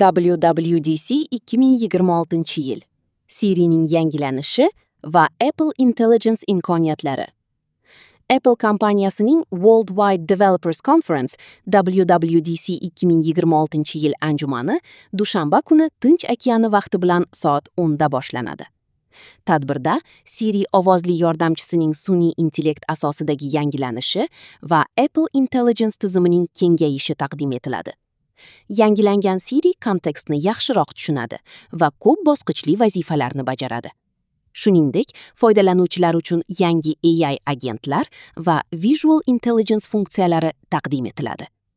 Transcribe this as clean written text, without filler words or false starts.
WWDC 2026-yil. Sirining yangilanishi va Apple Intelligence imkoniyatlari. Apple kompaniyasining Worldwide Developers Conference WWDC 2026-yil anjumani dushanba kuni Tinch okeani vaqti bilan soat 10 da boshlanadi. Tadbirda Siri ovozli yordamchisining sun'iy intellekt asosidagi yangilanishi va Apple Intelligence tizimining kengayishi taqdim etiladi. Yangilangan Siri kontekstni yaxshiroq tushunadi va ko'p bosqichli vazifalarni bajaradi. Shuningdek, foydalanuvchilar uchun yangi AI agentlar va Visual Intelligence funksiyalari taqdim etiladi.